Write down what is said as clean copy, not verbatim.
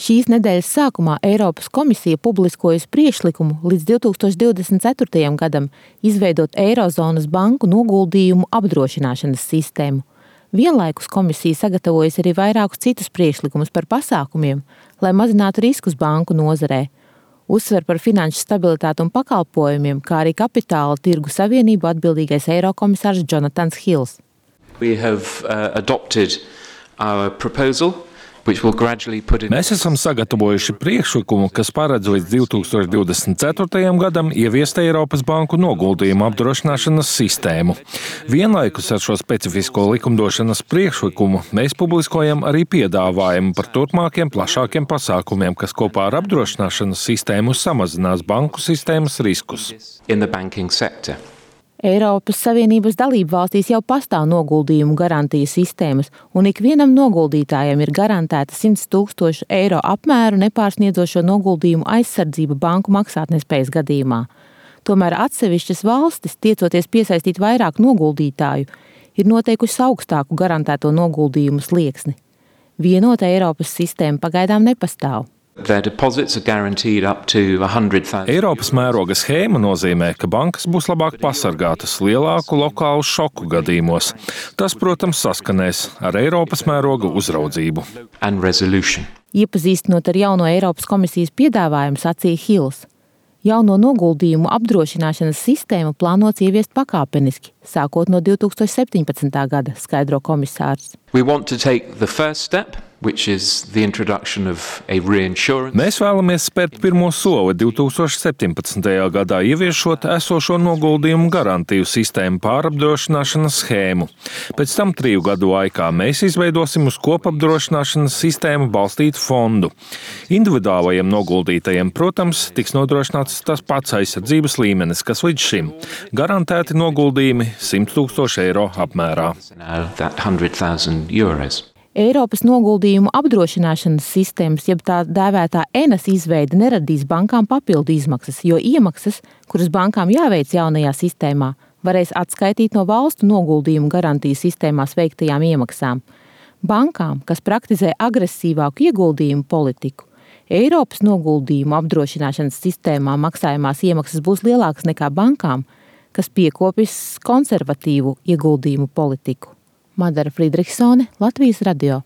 Šīs nedēļas sākumā Eiropas komisija publiskojusi priekšlikumu līdz 2024. gadam izveidot Eirozonas banku noguldījumu apdrošināšanas sistēmu. Vienlaikus komisija sagatavojas arī vairākus citus priekšlikumus par pasākumiem, lai mazinātu riskus banku nozarē. Uzsver par finanšu stabilitāti un pakalpojumiem, kā arī kapitāla tirgu savienību atbildīgais eirokomisārs Jonatans Hills. We have adopted our proposal. Mēs esam sagatavojuši priekšlikumu, kas paredz līdz 2024. gadam ieviest Eiropas banku noguldījumu apdrošināšanas sistēmu. Vienlaikus ar šo specifisko likumdošanas priekšlikumu mēs publiskojam arī piedāvājumu par turpmākiem plašākiem pasākumiem, kas kopā ar apdrošināšanas sistēmu samazinās banku sistēmas riskus. Eiropas Savienības dalību valstīs jau pastāv noguldījumu garantiju sistēmas, un ikvienam noguldītājam ir garantēta 100 000 eiro apmēru nepārsniedzošo noguldījumu aizsardzība banku maksātnespējas gadījumā. Tomēr atsevišķas valstis, tiecoties piesaistīt vairāk noguldītāju, ir noteikusi augstāku garantēto noguldījumu slieksni. Vienota Eiropas sistēma pagaidām nepastāv. Eiropas mēroga schēma nozīmē, ka bankas būs labāk pasargātas lielāku lokālu šoku gadījumos. Tas, protams, saskanēs ar Eiropas mēroga uzraudzību. Iepazīstinot ar jauno Eiropas komisijas piedāvājumu, sacīja Hills. Jauno noguldījumu apdrošināšanas sistēmu plānots ieviest pakāpeniski, sākot no 2017. gada, skaidro komisārs. Mēs vēlamies spērt pirmo soli 2017. gadā, ieviešot esošo noguldījumu garantiju sistēmu pārapdrošināšanas schēmu. Pēc tam 3 gadu laikā mēs izveidosim uz kopapdrošināšanas sistēmu balstītu fondu. Individuālajiem noguldītajiem, protams, tiks nodrošināts tas pats aizsardzības līmenis, kas līdz šim. Garantēti noguldījumi 100 000 eiro apmērā. Eiropas noguldījumu apdrošināšanas sistēmas, jeb tā dēvētā ENAS izveide neradīs bankām papildu izmaksas, jo iemaksas, kuras bankām jāveic jaunajā sistēmā, varēs atskaitīt no valstu noguldījumu garantiju sistēmās veiktajām iemaksām. Bankām, kas praktizē agresīvāku ieguldījumu politiku, Eiropas noguldījumu apdrošināšanas sistēmā maksājumās iemaksas būs lielākas nekā bankām, kas piekopjas konservatīvu ieguldījumu politiku. Madara Friedrichsone, Latvijas radio.